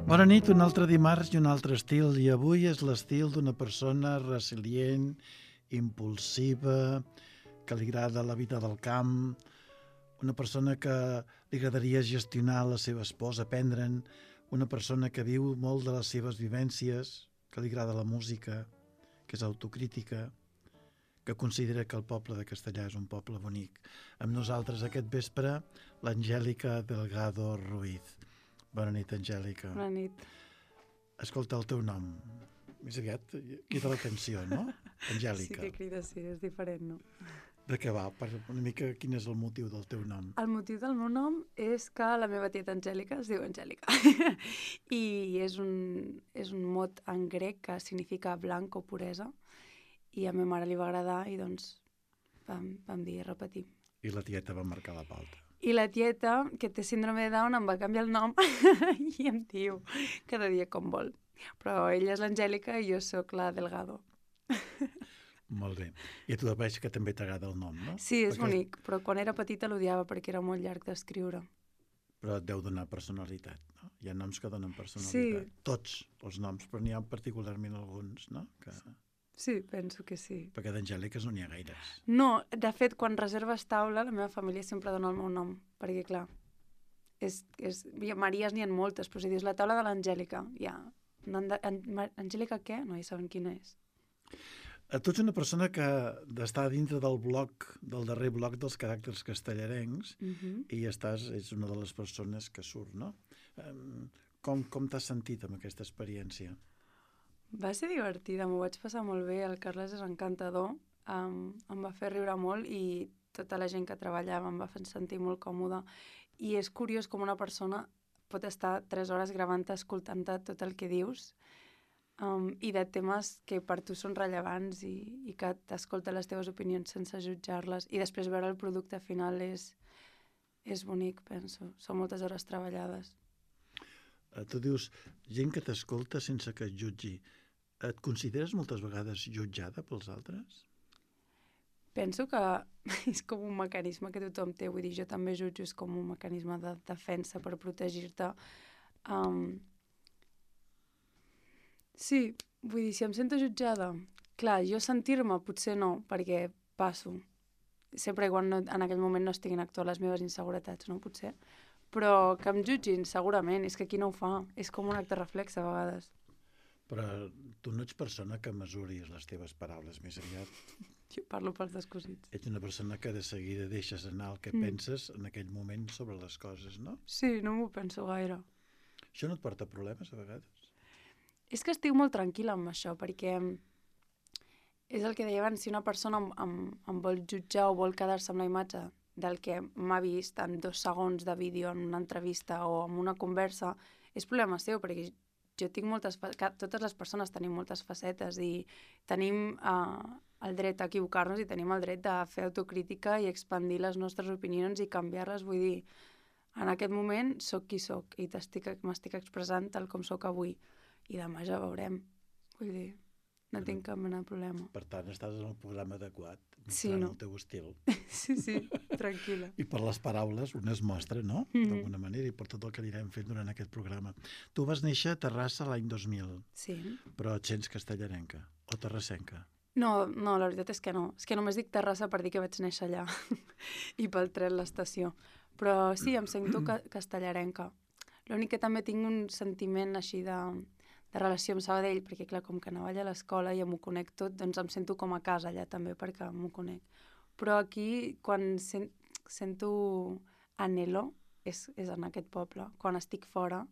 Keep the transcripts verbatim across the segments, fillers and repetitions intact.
Bona nit, un altre dimarts i un altre estil, i avui és l'estil d'una persona resilient, impulsiva, que li agrada la vida del camp, una persona que li agradaria gestionar les seves pors, aprendre'n, una persona que viu molt de les seves vivències, que li agrada la música, que és autocrítica, que considera que el poble de Castellar és un poble bonic. Amb nosaltres aquest vespre, l'Angèlica Delgado Ruiz. Bona nit, Angèlica. Bona nit. Escolta, el teu nom, més aviat crida l'atenció, no? Angèlica. Sí que crida, sí, és diferent, no? De què va? Per una mica quin és el motiu del teu nom? El motiu del meu nom és que la meva tieta Angèlica es diu Angèlica. I és un, és un mot en grec que significa blanc o puresa. I a ma mare li va agradar i doncs vam, vam dir repetir. I la tieta va marcar la pauta. I la tieta, que té síndrome de Down, em va canviar el nom i em diu cada dia com vol. Però ella és l'Angèlica i jo sóc la Delgado. Molt bé. I a tu veig que també t'agrada el nom, no? Sí, és perquè... bonic, però quan era petita l'odiava perquè era molt llarg d'escriure. Però et deu donar personalitat, no? Hi ha noms que donen personalitat. Sí. Tots els noms, però n'hi ha particularment alguns, no? Que... Sí, penso que sí. Perquè d'Angèliques no n'hi ha gaires. No, de fet, quan reserves taula, la meva família sempre dona el meu nom, perquè, clar, és, és, Maries n'hi ha moltes, però si dius la taula de l'Angèlica, ja... No, en, Angèlica què? No, ja saben quina és. Tu ets una persona que està dintre del bloc, del darrer bloc dels caràcters castellarencs, Uh-huh. i estàs, ets una de les persones que surt, no? Com, com t'has sentit amb aquesta experiència? Va ser divertida, m'ho vaig passar molt bé, el Carles és encantador, um, em va fer riure molt i tota la gent que treballava em va fer sentir molt còmoda. I és curiós com una persona pot estar tres hores gravant-te, escoltant-te tot el que dius, um, i de temes que per tu són rellevants i, i que t'escolta les teves opinions sense jutjar-les, i després veure el producte final és, és bonic, penso. Són moltes hores treballades. Uh, tu dius, gent que t'escolta sense que et jutgi. Et consideres moltes vegades jutjada pels altres? Penso que és com un mecanisme que tothom té, vull dir, jo també jutjo, és com un mecanisme de defensa per protegir-te. Um... Sí, vull dir, si em sento jutjada, clar, jo sentir-me potser no, perquè passo. Sempre i quan no, en aquell moment no estiguin actuant les meves inseguretats, no? Potser. Però que em jutgin, segurament, és que qui no ho fa? És com un acte reflex, a vegades. Però tu no ets persona que mesuris les teves paraules, més aviat. Jo parlo pels descosits. Ets una persona que de seguida deixes anar el que mm. penses en aquell moment sobre les coses, no? Sí, no m'ho penso gaire. Això no et porta problemes, a vegades? És que estic molt tranquil·la amb això, perquè és el que deia abans, si una persona em, em, em vol jutjar o vol quedar-se amb la imatge del que m'ha vist en dos segons de vídeo en una entrevista o en una conversa, és problema seu, perquè jo tinc moltes... Totes les persones tenim moltes facetes i tenim uh, el dret a equivocar-nos i tenim el dret de fer autocrítica i expandir les nostres opinions i canviar-les. Vull dir, en aquest moment sóc qui sóc i m'estic expressant tal com sóc avui. I demà ja veurem. Vull dir, no tinc cap mena de problema. Per tant, estàs en el programa adequat, mostrant sí, no? el teu estil. Sí, sí, tranquil·la. I per les paraules un es mostra, no? Mm-hmm. D'alguna manera, i per tot el que anirem fent durant aquest programa. Tu vas néixer a Terrassa l'any dos mil. Sí. Però et sents castellarenca o terrassenca? No, no, la veritat és que no. És que només dic Terrassa per dir que vaig néixer allà i pel tren l'estació. Però sí, em sento ca castellarenca. L'únic que també tinc un sentiment així de... de relació amb Sabadell, perquè clar, com que anava allà a l'escola i m'ho conec tot, doncs em sento com a casa allà també, perquè m'ho conec. Però aquí, quan sen sento anhelo, és, és en aquest poble. Quan estic fora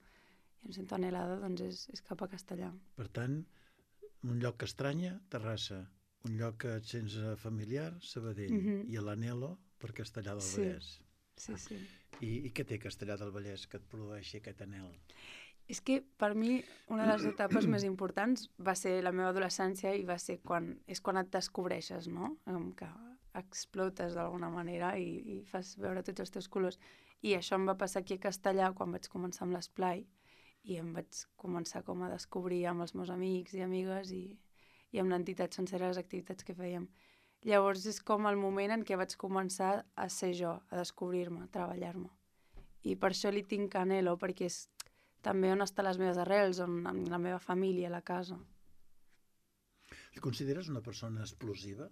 i em sento anhelada, doncs és, és cap a Castellar. Per tant, un lloc que estranya, Terrassa. Un lloc que et sents familiar, Sabadell. Mm-hmm. I l'anhelo per Castellar del sí. Vallès. Sí, sí. I, I què té Castellar del Vallès que et produeixi aquest anhel? És que per mi una de les etapes més importants va ser la meva adolescència i va ser quan, és quan et descobreixes, no? Que explotes d'alguna manera i, i fas veure tots els teus colors. I això em va passar aquí a Castellar quan vaig començar amb l'esplai i em vaig començar com a descobrir amb els meus amics i amigues i, i amb l'entitat sencera les activitats que fèiem. Llavors és com el moment en què vaig començar a ser jo, a descobrir-me, a treballar-me. I per això li tinc anhelo, perquè és també on estan les meves arrels, on amb la meva família, la casa. Et consideres una persona explosiva?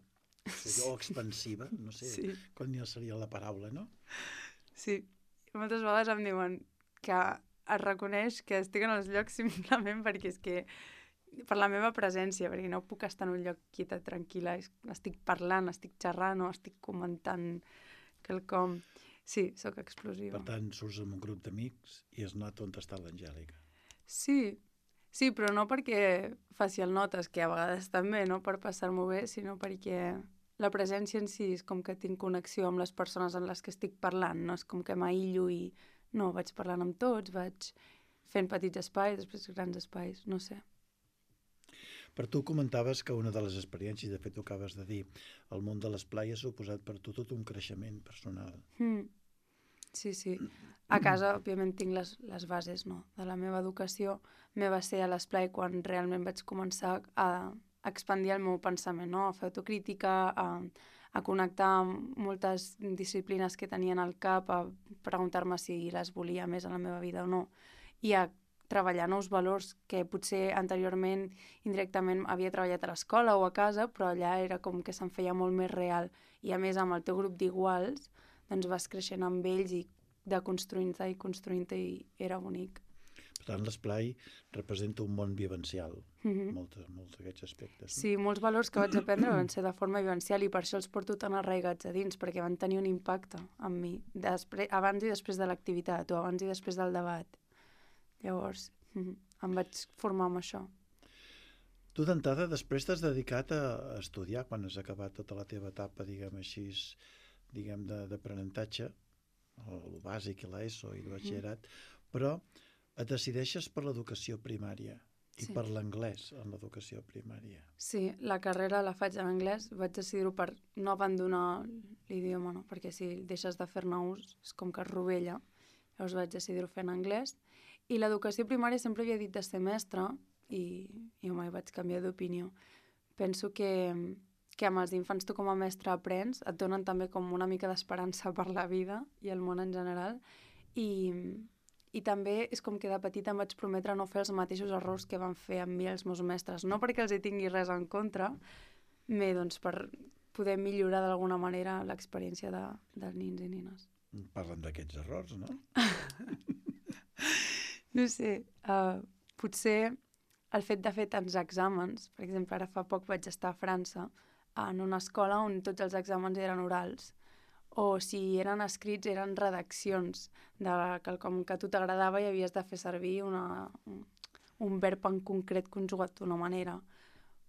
O expansiva? No sé Sí. quan ja seria la paraula, no? Sí. Moltes vegades em diuen que es reconeix que estic en els llocs simplement perquè és que per la meva presència, perquè no puc estar en un lloc quieta, tranquil·la, estic parlant, estic xerrant o estic comentant quelcom. Sí, sóc explosiva. Per tant, surts amb un grup d'amics i es nota on està l'Angèlica. Sí, sí, però no perquè faci el notes, que a vegades també, no per passar-m'ho bé, sinó perquè la presència en si és com que tinc connexió amb les persones amb les que estic parlant, no és com que m'aïllo i no, vaig parlant amb tots, vaig fent petits espais, després grans espais, no sé. Per tu comentaves que una de les experiències, de fet ho acabes de dir, el món de l'esplai ha suposat per tu tot un creixement personal. Mm. Sí, sí. A casa, òbviament, tinc les, les bases, no?, de la meva educació. Me va ser a l'esplai quan realment vaig començar a expandir el meu pensament, no?, a fer autocrítica, a, a connectar amb moltes disciplines que tenia al cap, a preguntar-me si les volia més a la meva vida o no, i a treballar nous valors que potser anteriorment, indirectament, havia treballat a l'escola o a casa, però allà era com que se'm feia molt més real. I a més, amb el teu grup d'iguals, doncs vas creixent amb ells i deconstruint-te i construint-te i era bonic. Per tant, l'esplai representa un món vivencial, Mm-hmm. molts, molts d'aquests aspectes. No? Sí, molts valors que vaig aprendre van ser de forma vivencial i per això els porto tan arraigats a dins, perquè van tenir un impacte en mi, després, abans i després de l'activitat o abans i després del debat. Llavors, mm-hmm, em vaig formar amb això. Tu d'entrada després t'has dedicat a estudiar quan has acabat tota la teva etapa, diguem així, diguem d'aprenentatge, el bàsic i l'ESO i el batxillerat, però et decideixes per l'educació primària i Sí. per l'anglès en l'educació primària. Sí, la carrera la faig en anglès, vaig decidir-ho per no abandonar l'idioma, no? Perquè si deixes de fer-ne ús és com que es rovella, llavors vaig decidir-ho fer en anglès. I l'educació primària sempre havia dit de ser mestra i, i mai vaig canviar d'opinió. Penso que, que amb els infants tu com a mestre aprens, et donen també com una mica d'esperança per la vida i el món en general, i, i també és com que de petita em vaig prometre no fer els mateixos errors que van fer amb mi els meus mestres, no perquè els hi tingui res en contra, bé, doncs per poder millorar d'alguna manera l'experiència de, dels nins i nines. Parlen d'aquests errors, no? No sé, uh, potser el fet de fer tants exàmens, per exemple, ara fa poc vaig estar a França, en una escola on tots els exàmens eren orals, o si eren escrits eren redaccions de quelcom que a tu t'agradava i havies de fer servir una, un, un verb en concret conjugat d'una manera.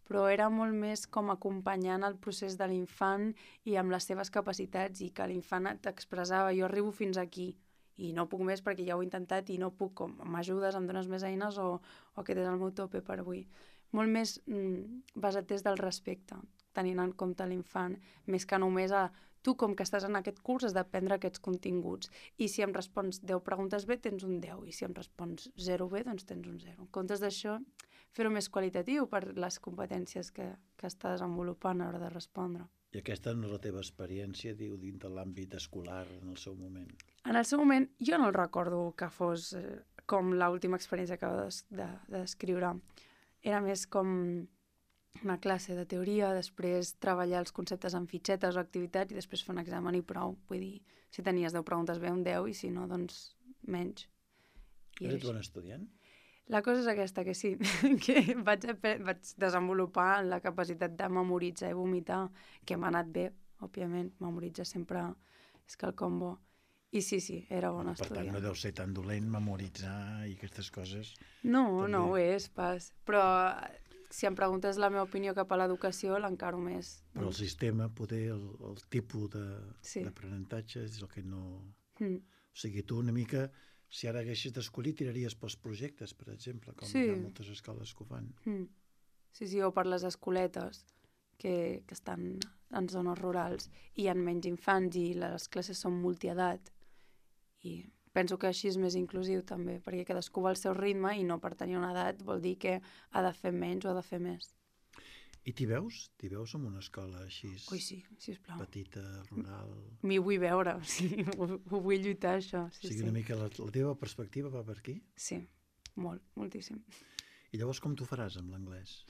Però era molt més com acompanyant el procés de l'infant i amb les seves capacitats i que l'infant t'expressava jo arribo fins aquí i no puc més perquè ja ho he intentat i no puc, com m'ajudes, em dones més eines o, o aquest és el meu tope per avui. Molt més mm, basat des del respecte, tenint en compte l'infant, més que només a tu com que estàs en aquest curs has d'aprendre aquests continguts i si em respons deu preguntes bé tens un deu i si em respons zero bé doncs tens un zero. En comptes d'això, fer-ho més qualitatiu per les competències que, que està desenvolupant a l'hora de respondre. I aquesta no és la teva experiència, diu, dins de l'àmbit escolar en el seu moment. En el seu moment, jo no el recordo que fos eh, com l'última experiència que acabo de, de, de descriure. Era més com una classe de teoria, després treballar els conceptes en fitxetes o activitats i després fer un examen i prou. Vull dir, si tenies deu preguntes bé, un deu, i si no, doncs menys. I Eres bon estudiant? La cosa és aquesta, que sí, que vaig, vaig desenvolupar la capacitat de memoritzar i vomitar, que m'ha anat bé, òbviament, memoritzar sempre és quelcom bo. I sí, sí, era bon Per estudiant. tant, no deu ser tan dolent memoritzar i aquestes coses. No, també. no ho és pas, però si em preguntes la meva opinió cap a l'educació, l'encaro més. Però el sistema, poder, el, el tipus Sí. d'aprenentatge és el que no... Mm. O sigui, tu una mica, si ara haguessis d'escollir, tiraries pels projectes, per exemple, com Sí. hi ha moltes escoles que ho fan. Mm. Sí, sí, o per les escoletes que, que estan en zones rurals i hi ha menys infants i les classes són multiedat. I penso que així és més inclusiu també, perquè cadascú va al seu ritme i no per tenir una edat vol dir que ha de fer menys o ha de fer més. I t'hi veus? T'hi veus en una escola així Ui, sí, sisplau. petita, rural? M'hi vull veure, o sigui, ho, ho vull lluitar, això. Sí, O sigui, sí. una mica la, la teva perspectiva va per aquí? Sí, molt, moltíssim. I llavors com t'ho faràs amb l'anglès?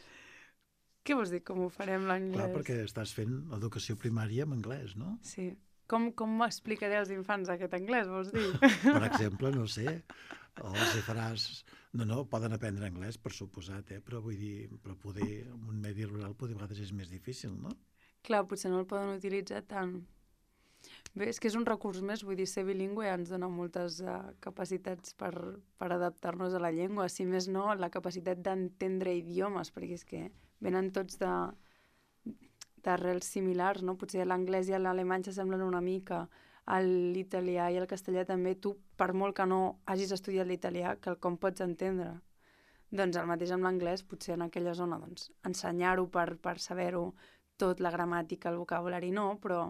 Què vols dir, com ho farem l'anglès? Clar, perquè estàs fent educació primària en anglès, no? Sí. Com, com m'explicaré als infants aquest anglès, vols dir? Per exemple, no sé, o els hi faràs... No, no, poden aprendre anglès, per suposat, eh? Però vull dir, però poder, en un medi rural, poder a vegades és més difícil, no? Clar, potser no el poden utilitzar tant. Bé, és que és un recurs més, vull dir, ser bilingüe ens dona moltes uh, capacitats per, per adaptar-nos a la llengua, si més no, la capacitat d'entendre idiomes, perquè és que venen tots de d'arrels similars, no? Potser l'anglès i l'alemany s'assemblen una mica, l'italià i el castellà també, tu, per molt que no hagis estudiat l'italià, que el com pots entendre. Doncs el mateix amb l'anglès, potser en aquella zona, doncs, ensenyar-ho per, per saber-ho tot, la gramàtica, el vocabulari no, però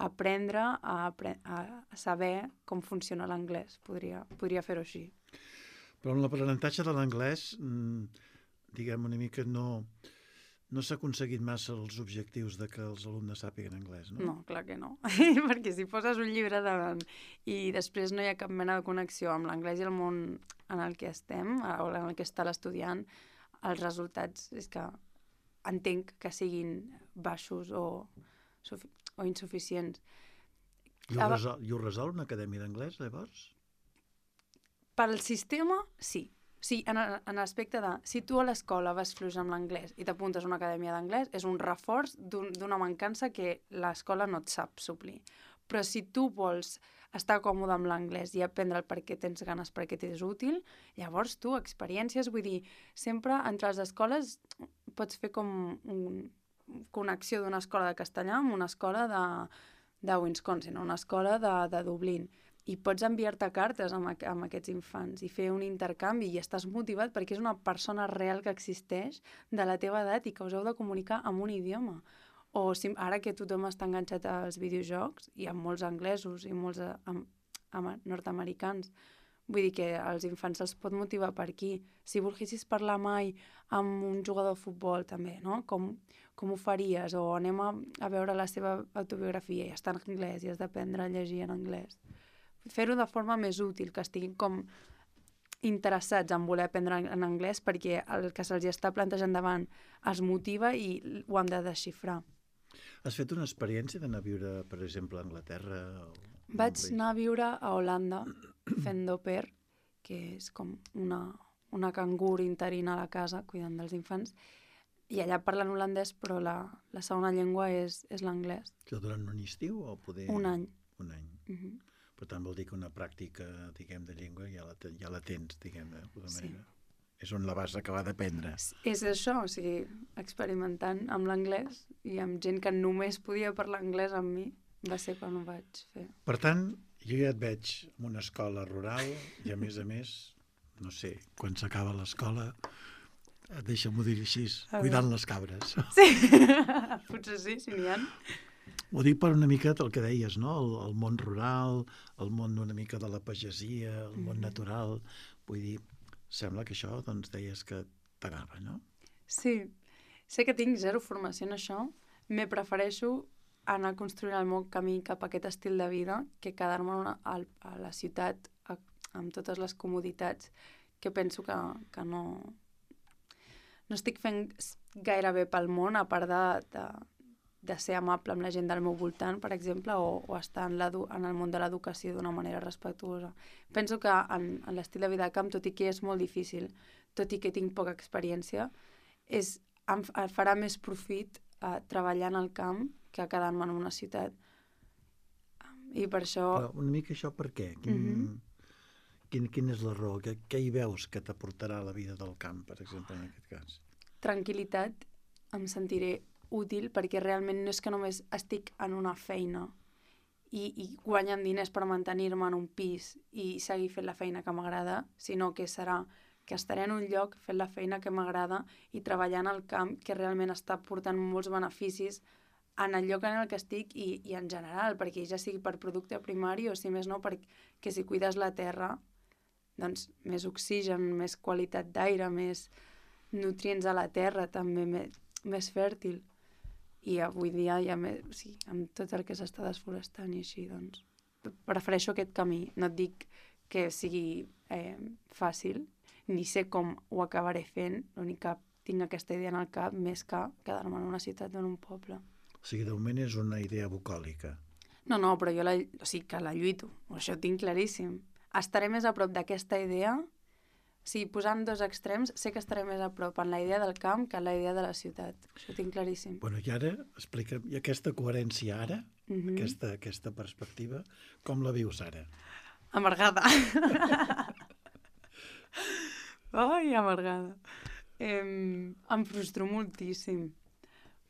aprendre a, apre a saber com funciona l'anglès, podria, podria fer-ho així. Però en l'aprenentatge de l'anglès, diguem una mica, no... No s'ha aconseguit massa els objectius de que els alumnes sàpiguen anglès, no? No, clar que no. Perquè si poses un llibre davant i després no hi ha cap mena de connexió amb l'anglès i el món en el que estem, o en el que està l'estudiant, els resultats és que entenc que siguin baixos o, o insuficients. I ho, resol, I ho resol una acadèmia d'anglès, llavors? Pel sistema, sí. Sí, en, en l'aspecte de, si tu a l'escola vas fluix amb l'anglès i t'apuntes a una acadèmia d'anglès, és un reforç d'una un, mancança que l'escola no et sap suplir. Però si tu vols estar còmode amb l'anglès i aprendre per què tens ganes, perquè t'és útil, llavors tu, experiències, vull dir, sempre entre les escoles pots fer com una connexió d'una escola de castellà amb una escola de, de Wisconsin, una escola de, de Dublín, i pots enviar-te cartes amb, amb aquests infants i fer un intercanvi i estàs motivat perquè és una persona real que existeix de la teva edat i que us heu de comunicar amb un idioma. O si, ara que tothom està enganxat als videojocs, i amb molts anglesos i molts amb, amb nord-americans, vull dir que als infants se'ls pot motivar per aquí. Si volguessis parlar mai amb un jugador de futbol també, no? Com, com ho faries? O anem a, a veure la seva autobiografia i està en anglès i has d'aprendre a llegir en anglès. Fer-ho de forma més útil, que estiguin com interessats en voler aprendre en anglès perquè el que se'ls està plantejant davant els motiva i ho han de desxifrar. Has fet una experiència d'anar a viure, per exemple, a Anglaterra? O... Vaig anar a viure a Holanda fent d'au pair, que és com una, una cangur interina a la casa cuidant dels infants, i allà parlen holandès, però la, la segona llengua és, és l'anglès. Això durant un estiu o poder... Un any. Un any. Uh-huh. Per tant, vol dir que una pràctica, diguem, de llengua ja la, ja la tens, diguem, de tota manera. Sí. És on la vas acabar d'aprendre. És això, o sigui, experimentant amb l'anglès i amb gent que només podia parlar anglès amb mi, va ser quan ho vaig fer. Per tant, jo ja et veig en una escola rural i, a més a més, no sé, quan s'acaba l'escola, deixa'm-ho dir així, cuidant les cabres. Sí, potser sí, si n'hi ha. Ho dic per una mica el que deies, no? El, el món rural, el món una mica de la pagesia, el món mm. natural. Vull dir, sembla que això, doncs, deies que t'anava, no? Sí. Sé que tinc zero formació en això. Me prefereixo anar construint el meu camí cap a aquest estil de vida que quedar-me a, a la ciutat a, amb totes les comoditats que penso que, que no... No estic fent gaire bé pel món, a part de... de de ser amable amb la gent del meu voltant, per exemple, o, o estar en, en el món de l'educació d'una manera respectuosa. Penso que en, en l'estil de vida de camp, tot i que és molt difícil, tot i que tinc poca experiència, és, em, em farà més profit eh, treballar en el camp que quedar-me en una ciutat. I per això... Però una mica això per què? Quin, mm-hmm. quin, quin és la raó? Què, què hi veus que t'aportarà la vida del camp, per exemple, en aquest cas? Tranquil·litat, em sentiré útil perquè realment no és que només estic en una feina i, i guanyant diners per mantenir-me en un pis i seguir fent la feina que m'agrada, sinó que serà que estaré en un lloc fent la feina que m'agrada i treballant al camp que realment està portant molts beneficis en el lloc en el que estic i, i en general, perquè ja sigui per producte primari o si més no perquè si cuides la terra, doncs més oxigen, més qualitat d'aire, més nutrients a la terra també, més, més fèrtil. I avui dia, ja me, o sigui, amb tot el que s'està desforestant i així, doncs, prefereixo aquest camí. No et dic que sigui eh, fàcil, ni sé com ho acabaré fent, l'únic que tinc aquesta idea en el cap més que quedar-me en una ciutat o en un poble. O sigui, de moment és una idea bucòlica. No, no, però jo la, o sigui, que la lluito, això ho tinc claríssim. Estaré més a prop d'aquesta idea, o sigui, posant dos extrems, sé que estaré més a prop en la idea del camp que en la idea de la ciutat. Això ho tinc claríssim. Bueno, i ara, explica'm, i aquesta coherència ara, Mm -hmm. aquesta, aquesta perspectiva, com la vius ara? Amargada. Ai, amargada. Eh, em frustro moltíssim.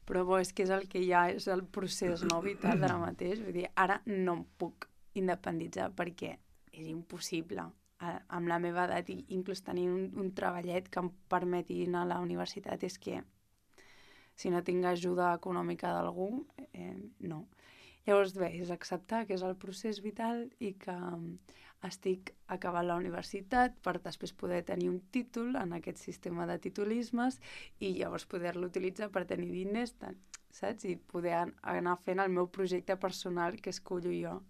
Però bo, és que és el que hi ha, és el procés no vital d'ara mateix. Vull dir, ara no em puc independitzar perquè és impossible. Amb la meva edat i inclús tenir un, un treballet que em permeti anar a la universitat és que si no tinc ajuda econòmica d'algú, eh, no. Llavors, bé, és acceptar que és el procés vital i que estic acabant la universitat per després poder tenir un títol en aquest sistema de titulismes i llavors poder-lo utilitzar per tenir diners, saps? I poder anar fent el meu projecte personal que escollo jo.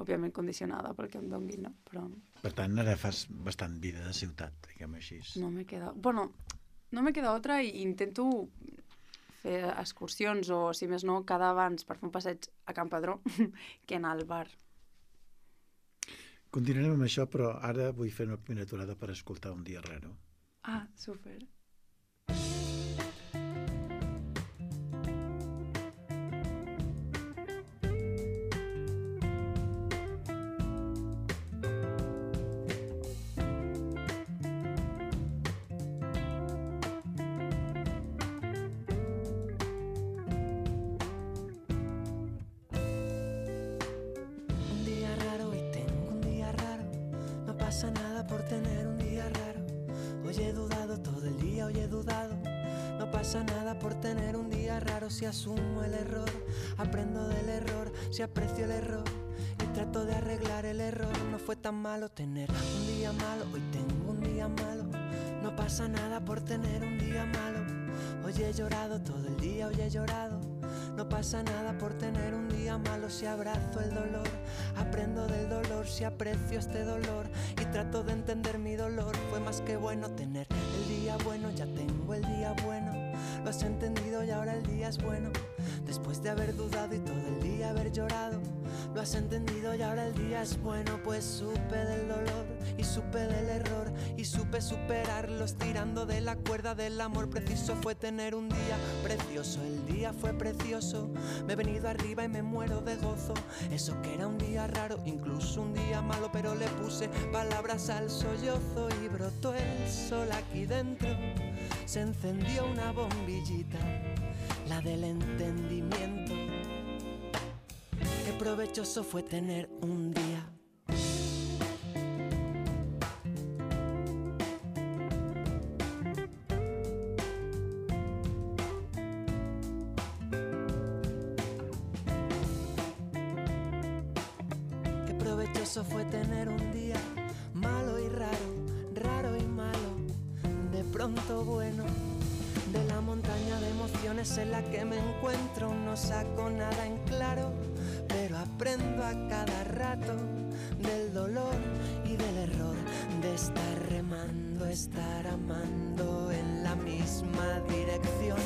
Òbviament condicionada pel que em donguin, no? Però... Per tant, ara fas bastant vida de ciutat, diguem així. No m'he quedat... Bueno, no m'he quedat altra i intento fer excursions o, si més no, quedar abans per fer un passeig a Can Padró que anar al bar. Continuarem amb això, però ara vull fer una primera aturada per escoltar Un dia raro. Ah, súper. pasa nada por tener un día raro. Hoy he dudado todo el día, hoy he dudado. No pasa nada por tener un día raro. Si asumo el error, aprendo del error. Si aprecio el error y trato de arreglar el error. No fue tan malo tener un día malo. Hoy tengo un día malo. No pasa nada por tener un día malo. Hoy he llorado todo el día, hoy he llorado. No pasa nada por tener un día malo. Si abrazo el dolor, aprendo del dolor. Si aprecio este dolor y trato de entender mi dolor. Fue más que bueno tener el día bueno. Ya tengo el día bueno. Lo has entendido y ahora el día es bueno. Después de haber dudado y todo el día haber llorado. Lo has entendido y ahora el día es bueno. Pues supe del dolor y supe del error y supe superarlos tirando de la cuerda del amor. Preciso fue tener un día precioso. El día fue precioso. Me he venido arriba y me muero de gozo. Eso que era un día raro, incluso un día malo, pero le puse palabras al sollozo y brotó el sol aquí dentro. Se encendió una bombillita, la del entendimiento. Qué provechoso fue tener un día. Qué provechoso fue tener un día malo y raro, raro y malo, de pronto bueno. De la montaña de emociones en la que me encuentro no saco nada en claro, pero aprendo a cada rato del dolor y del error, de estar remando, estar amando en la misma dirección.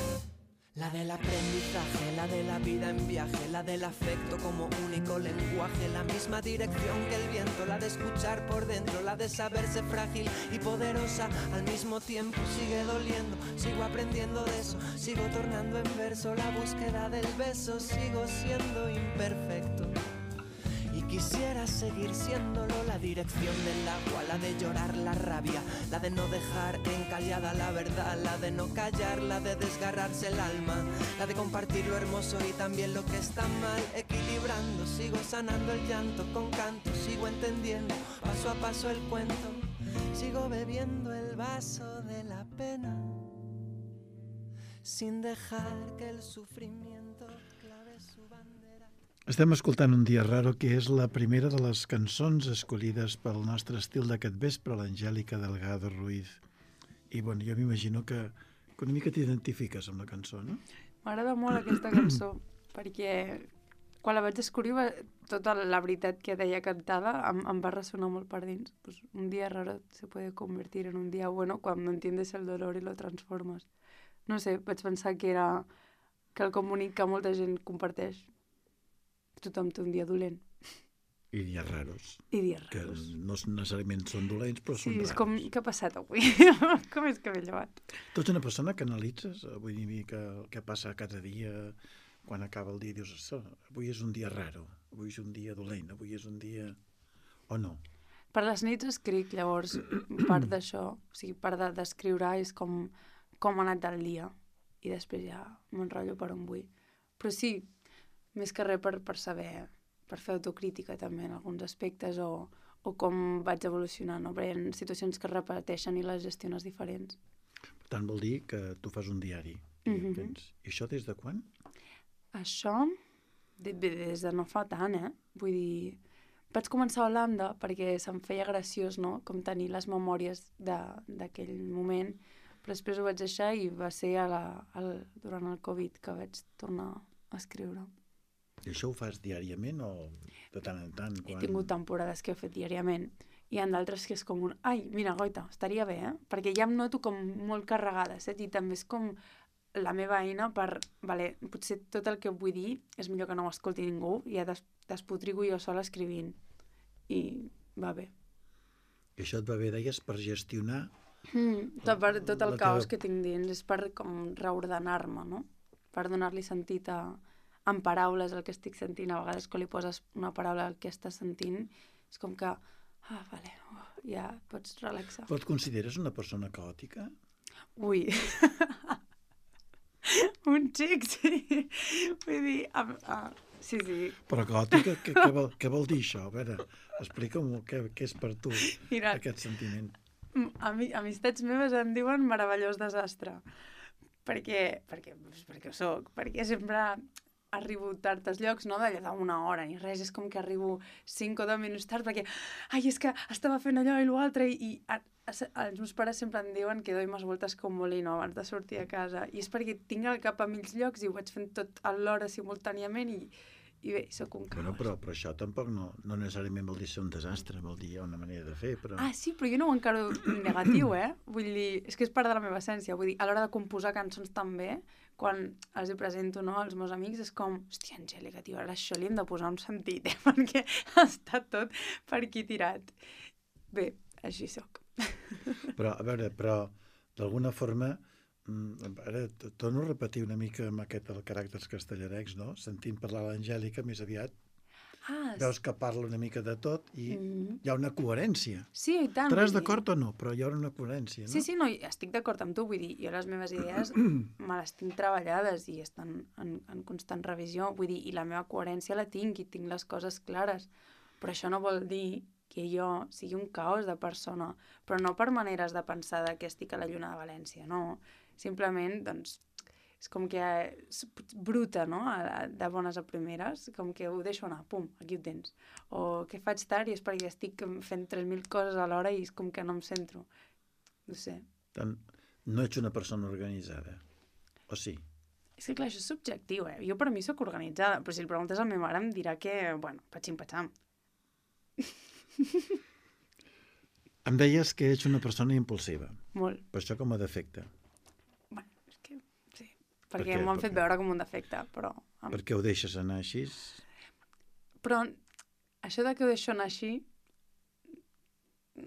La del aprendizaje, la de la vida en viaje, la del afecto como único lenguaje, la misma dirección que el viento, la de escuchar por dentro, la de saberse frágil y poderosa al mismo tiempo. Sigue doliendo, sigo aprendiendo de eso, sigo tornando en verso la búsqueda del beso, sigo siendo imperfecto. Y quisiera seguir siéndolo, la dirección del agua, la de llorar la rabia, la de no dejar encallada la verdad, la de no callar, la de desgarrarse el alma, la de compartir lo hermoso y también lo que está mal, equilibrando, sigo sanando el llanto con canto, sigo entendiendo paso a paso el cuento, sigo bebiendo el vaso de la pena, sin dejar que el sufrimiento clave su bandera. Estem escoltant Un dia raro, que és la primera de les cançons escollides pel nostre estil d'aquest vespre, l'Angèlica Delgado Ruiz. I bueno, jo m'imagino que, que una mica t'identifiques amb la cançó, no? M'agrada molt aquesta cançó, perquè quan la vaig descobrir, va, tota la veritat que deia cantada em, em va ressonar molt per dins. Pues un dia raro se puede convertir en un día bueno cuando entiendes el dolor y lo transformas. No sé, vaig pensar que era quelcom bonic que molta gent comparteix. Tothom té un dia dolent. I dies raros. I dies Que raros. no necessàriament són dolents, però Sí, són és raros. com, què ha passat avui? Com és que m'he llevat? Tu ets una persona que analitzes, vull dir, que el que passa cada dia, quan acaba el dia, dius, "Això, avui és un dia raro, avui és un dia dolent, avui és un dia..." O no? Per les nits escric, llavors, part d'això, o sigui, part de- d'escriure és com, com ha anat el dia, i després ja m'enrotllo per on vull. Però sí, més que res per, per saber, per fer autocrítica també en alguns aspectes, o, o com vaig evolucionant, no? Perquè hi ha situacions que es repeteixen i les gestiones diferents. Per tant, vol dir que tu fas un diari. I, Mhm. tens... I això des de quan? Això, de, bé, des de no fa tant, eh? Vull dir, vaig començar a Holanda perquè se'm feia graciós, no?, com tenir les memòries de- d'aquell moment, però després ho vaig deixar i va ser a la, al, durant el Covid que vaig tornar a escriure. I això ho fas diàriament o de tant en tant? He tingut temporades que he fet diàriament. Hi ha d'altres que és com un... Ai, mira, goita, estaria bé, eh? Perquè ja em noto com molt carregada, saps? I també és com la meva eina per... Vale, potser tot el que vull dir és millor que no ho escolti ningú i ja des despotrigo jo sola escrivint. I va bé. I això et va bé, deies, per gestionar... Mm, tot, per, tot el La caos teva- que tinc dins és per com reordenar-me, no? Per donar-li sentit a, en paraules el que estic sentint. A vegades quan li poses una paraula al que estàs sentint és com que, ah, vale, uh, ja pots relaxar. Però et consideres una persona caòtica? Ui, un xic, sí. Vull dir, uh, uh, sí, sí. Però caòtica, què, què, vol, què vol dir això? A veure, explica'm què, què és per tu Mira, aquest sentiment. Ami amistats meves em diuen meravellós desastre. Perquè, perquè, doncs perquè ho soc, perquè sempre arribo tard als llocs, no d'allà d'una hora ni res, és com que arribo cinc o deu minuts tard perquè, ai, és que estava fent allò i l'altre, i, i a, a, els meus pares sempre em diuen que doy més voltes que un molino abans de sortir a casa, i és perquè tinc el cap a mils llocs i ho vaig fent tot alhora simultàniament, i, i bé, sóc un caos. Bueno, però, però això tampoc no, no necessàriament vol dir ser un desastre, vol dir una manera de fer, però... Ah, sí, però jo no ho encaro negatiu, eh? Vull dir, és que és part de la meva essència. Vull dir, a l'hora de composar cançons també, quan els hi presento, no, als meus amics, és com, hòstia, Angèlica, tio, ara això li hem de posar un sentit, eh? Perquè està tot per aquí tirat. Bé, així sóc. Però, a veure, però d'alguna forma, mm, ara t- torno a repetir una mica amb aquest el caràcters castellarecs, no? Sentint parlar l'Angèlica, més aviat Ah, veus que parla una mica de tot i mm. hi ha una coherència. Sí, i tant. Estaràs vull dir- d'acord o no? Però hi ha una coherència, no? Sí, sí, no, i estic d'acord amb tu, vull dir, jo les meves idees me les tinc treballades i estan en, en constant revisió, vull dir, i la meva coherència la tinc i tinc les coses clares, però això no vol dir que jo sigui un caos de persona, però no per maneres de pensar de que estic a la Lluna de València, no, simplement, doncs, és com que és bruta, no?, a- a- de bones a primeres, com que ho deixo anar, pum, aquí ho tens. O que faig tard i és perquè estic fent tres mil coses alhora i és com que no em centro. No sé. Tant, no ets una persona organitzada, o sí? És que clar, això és subjectiu, eh? Jo per mi sóc organitzada, però si el preguntes a la meva mare em dirà que, bueno, patxim-patxam. Em deies que ets una persona impulsiva, Molt. però això com a defecte. Bueno, és que sí. Per Perquè què? m'ho han Per fet què? veure com un defecte, però... Amb... Per què ho deixes anar així? Però això de que ho deixo anar així...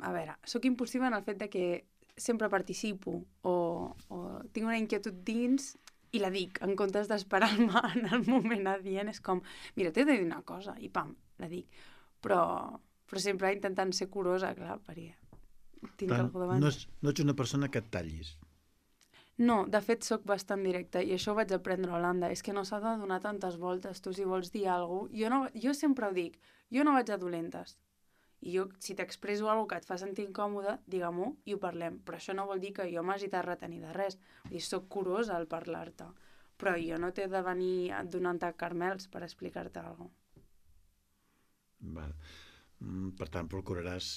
A veure, sóc impulsiva en el fet de que sempre participo o, o tinc una inquietud dins i la dic, en comptes d'esperar-me en el moment adient, és com, mira, t'he de dir una cosa, i pam, la dic. Però, però sempre intentant ser curosa, clar, perquè tinc Tant, algú davant. no, és, no ets una persona que et tallis. No, de fet, sóc bastant directa, i això ho vaig aprendre a Holanda. És que no s'ha de donar tantes voltes. Tu, si vols dir alguna cosa... Jo, no, jo sempre ho dic, jo no vaig a dolentes. I jo, si t'expresso alguna cosa que et fa sentir incòmode, digue-m'ho i ho parlem. Però això no vol dir que jo m'hagi de retenir de res. Vull dir, soc curosa al parlar-te. Però jo no t'he de venir donant-te carmels per explicar-te alguna cosa. Val. Mm, Per tant, procuraràs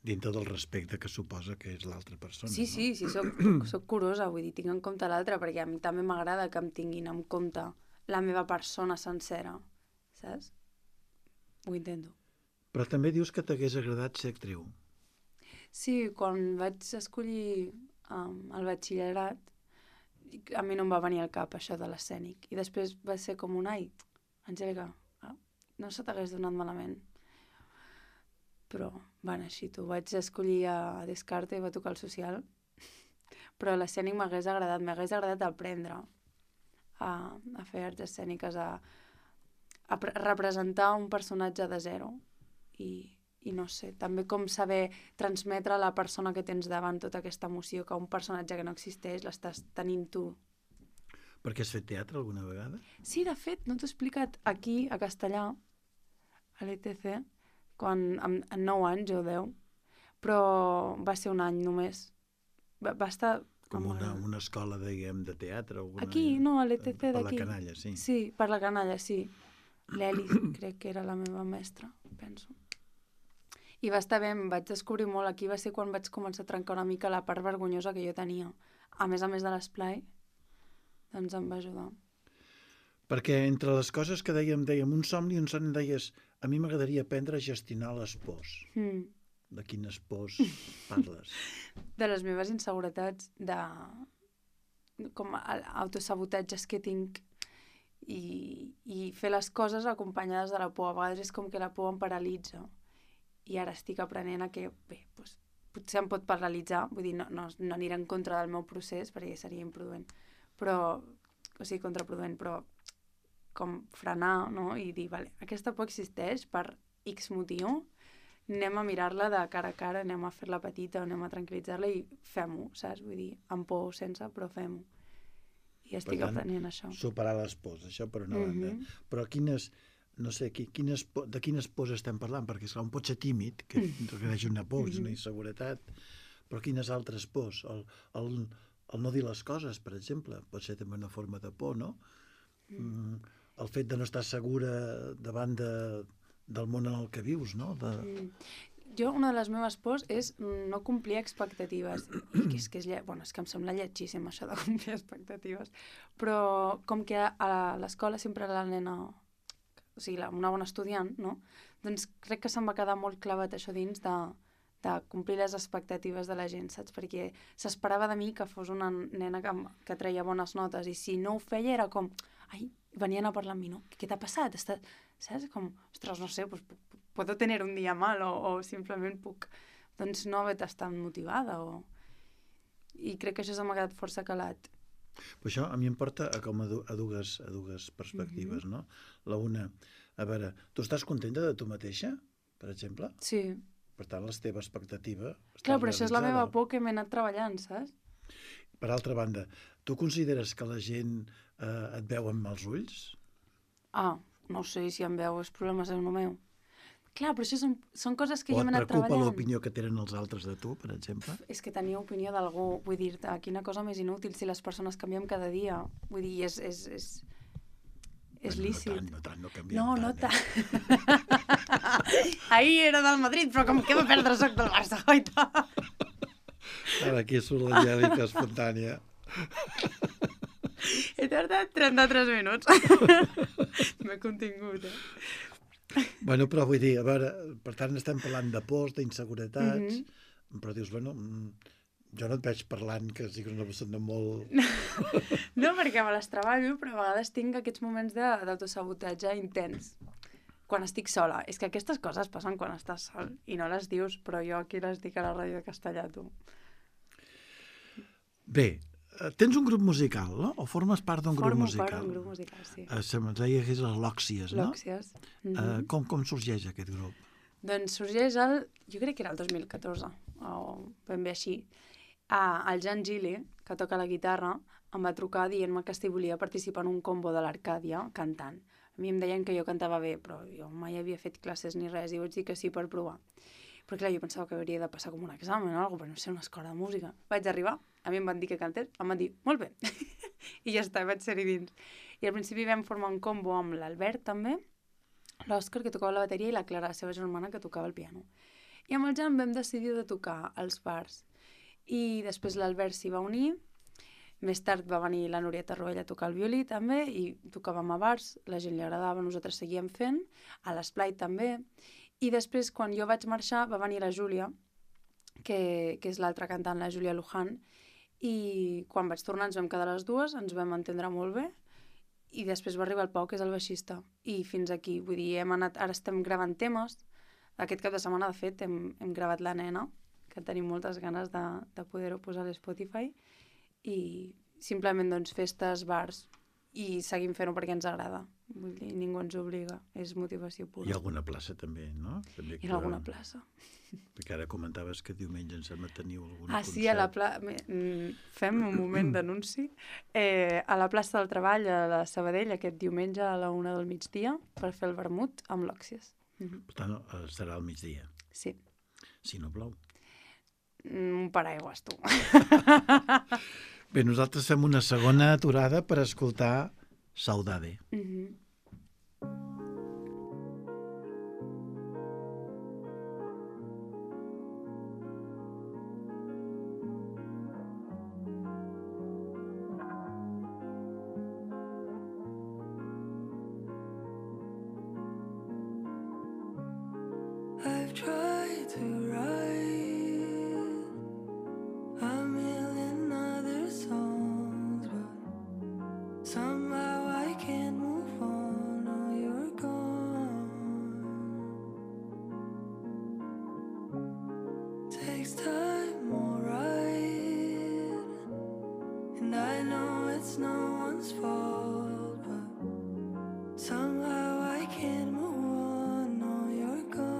dintre del respecte que suposa que és l'altra persona. Sí, no? sí, sí, soc, soc curosa, vull dir, tinc en compte l'altre, perquè a mi també m'agrada que em tinguin en compte la meva persona sencera, saps? Ho intento. Però també dius que t'hagués agradat ser actriu. Sí, quan vaig escollir um, el batxillerat, a mi no em va venir al cap això de l'escènic. I després va ser com un, ai, Angèlica, no se t'hagués donat malament. Però va anar així, tu. Vaig escollir a Descartes i va tocar el social. Però l'escènic m'hagués agradat, m'hagués agradat aprendre a, a fer arts escèniques, a, a representar un personatge de zero. I, i no sé, també com saber transmetre a la persona que tens davant tota aquesta emoció, que un personatge que no existeix l'estàs tenint tu. Perquè has fet teatre alguna vegada? Sí, de fet, no t'ho he explicat aquí, a Castellà, a l'E T C, quan, amb, amb nou anys o deu, però va ser un any només. Va, va estar... Com una, una escola, diguem, de teatre? Alguna... Aquí, no, a l'E T C d'aquí. Per la canalla, sí. Sí, per la canalla, sí. L'Eli, crec que era la meva mestra, penso. I va estar bé, em vaig descobrir molt. Aquí va ser quan vaig començar a trencar una mica la part vergonyosa que jo tenia. A més a més de l'esplai, doncs em va ajudar. Perquè entre les coses que dèiem, dèiem un somni, un somni deies, a mi m'agradaria aprendre a gestionar les pors. Mm. De quines pors parles? De les meves inseguretats, de com autosabotatges que tinc i, i fer les coses acompanyades de la por. A vegades és com que la por em paralitza. I ara estic aprenent a que, bé, doncs, potser em pot paralitzar, vull dir, no, no, no aniré en contra del meu procés perquè seria imprudent, però, o sigui, contraproduent, però com frenar, no? I dir, vale, aquesta por existeix per X motiu, anem a mirar-la de cara a cara, anem a fer-la petita, anem a tranquil·litzar-la i fem-ho, saps? Vull dir, amb por o sense, però fem-ho. I estic per tant, aprenent això. Superar les pors, això per una Mm-hmm. banda. Però quines... no sé, quines, de quines pors estem parlant, perquè esclar, un pot ser tímid, que requereix una por, és una inseguretat, però quines altres pors? El, el, el no dir les coses, per exemple, pot ser també una forma de por, no? Mm. El fet de no estar segura davant de, del món en el que vius, no? De... Mm. Jo, una de les meves pors és no complir expectatives. I que és, que és, lle... bueno, és que em sembla lletgíssim això de complir expectatives. Però com que a l'escola sempre la nena... o sigui, una bona estudiant, no? Doncs crec que se'm va quedar molt clavat això dins de, de complir les expectatives de la gent, saps? Perquè s'esperava de mi que fos una nena que, que treia bones notes i si no ho feia era com, ai, venien a parlar amb mi, no? Què t'ha passat? Està... Saps? Com, ostres, no sé, pues, puedo tener un dia mal o, o simplement puc, doncs, no haver estat motivada o... I crec que això se m'ha quedat força calat. Però això a mi em porta a, com a, du a, dues, a dues perspectives, mm-hmm. no? La una, a veure, tu estàs contenta de tu mateixa, per exemple? Sí. Per tant, la teva expectativa està Clar, però això és la realitzada. meva por que m'he anat treballant, saps? Per altra banda, tu consideres que la gent eh, et veu amb mals ulls? Ah, no sé si em veu, és problema seu no meu. Clar, però això són, són coses que o jo m'he anat treballant. O et preocupa l'opinió que tenen els altres de tu, per exemple? És que tenir opinió d'algú, vull dir-te, quina cosa més inútil si les persones canviem cada dia. Vull dir, és... és, és... És bueno, lícit. No tant, no tant, no canviem no, no tant. tant. Eh? Ahir era del Madrid, però com que va perdre soc del Barça, oita. Ara aquí surt l'Angèlica espontània. He tardat trenta-tres minuts. M'he contingut, eh? Bueno, però vull dir, a veure, per tant estem parlant de pors, d'inseguretats, Mm-hmm. però dius, bueno, jo no et veig parlant que siguis una persona molt... No, perquè me les treballo, però a vegades tinc aquests moments d'autosabotatge intens. Quan estic sola. És que aquestes coses passen quan estàs sol i no les dius, però jo aquí les dic a la ràdio de Castellà, tu. Bé, tens un grup musical, no? O formes part d'un grup musical? Formo part d'un grup musical, sí. Uh, se'm deia que és les Lòxies, no? Lòxies. Mm -hmm. uh, com, com sorgeix aquest grup? Doncs sorgeix el... Jo crec que era el dos mil catorze, o ben bé així. Ah, el Jan Gili, que toca la guitarra, em va trucar dient-me que si volia participar en un combo de l'Arcàdia cantant. A mi em deien que jo cantava bé, però jo mai havia fet classes ni res, i vaig dir que sí per provar. Però clar, jo pensava que hauria de passar com un examen o alguna cosa, però no sé, una escola de música. Vaig arribar, a mi em van dir que cantés, em van dir, molt bé. I ja està, vaig ser-hi dins. I al principi vam formar un combo amb l'Albert també, l'Òscar, que tocava la bateria, i la Clara, la seva germana, que tocava el piano. I amb el Jan vam decidir de tocar als bars. I després l'Albert s'hi va unir, Més tard va venir la Nurieta Rovell a tocar el violí també i tocàvem a bars, la gent li agradava, nosaltres seguíem fent, a l'Esplai també. I després, quan jo vaig marxar, va venir la Júlia, que, que és l'altra cantant, la Júlia Luján, i quan vaig tornar ens vam quedar les dues, ens vam entendre molt bé, i després va arribar el Pau, que és el baixista, i fins aquí, vull dir, hem anat, ara estem gravant temes, aquest cap de setmana, de fet, hem, hem gravat La Nena, que tenim moltes ganes de, de poder-ho posar a l'Spotify, i simplement, doncs, festes, bars, i seguim fent-ho perquè ens agrada. Vull dir, ningú ens obliga, és motivació pura. Hi ha alguna plaça també, no? També Hi ha alguna plaça. Perquè ara comentaves que diumenge em sembla teniu algun ah, concert. Sí, a la plaça... Fem un moment d'anunci. Eh, a la plaça del Treball, a la Sabadell, aquest diumenge a la una del migdia, per fer el vermut amb l'Òxies. Mm-hmm. Per tant, serà al migdia. Sí. Si no plou. Un paraigües, tu. Bé, nosaltres fem una segona aturada per escoltar Saudade. Mhm. I've tried to write a million other songs, but somehow I can't move on. Oh, you're gone. Takes time, alright, and I know it's no one's fault, but somehow I can't move on. Oh, you're gone.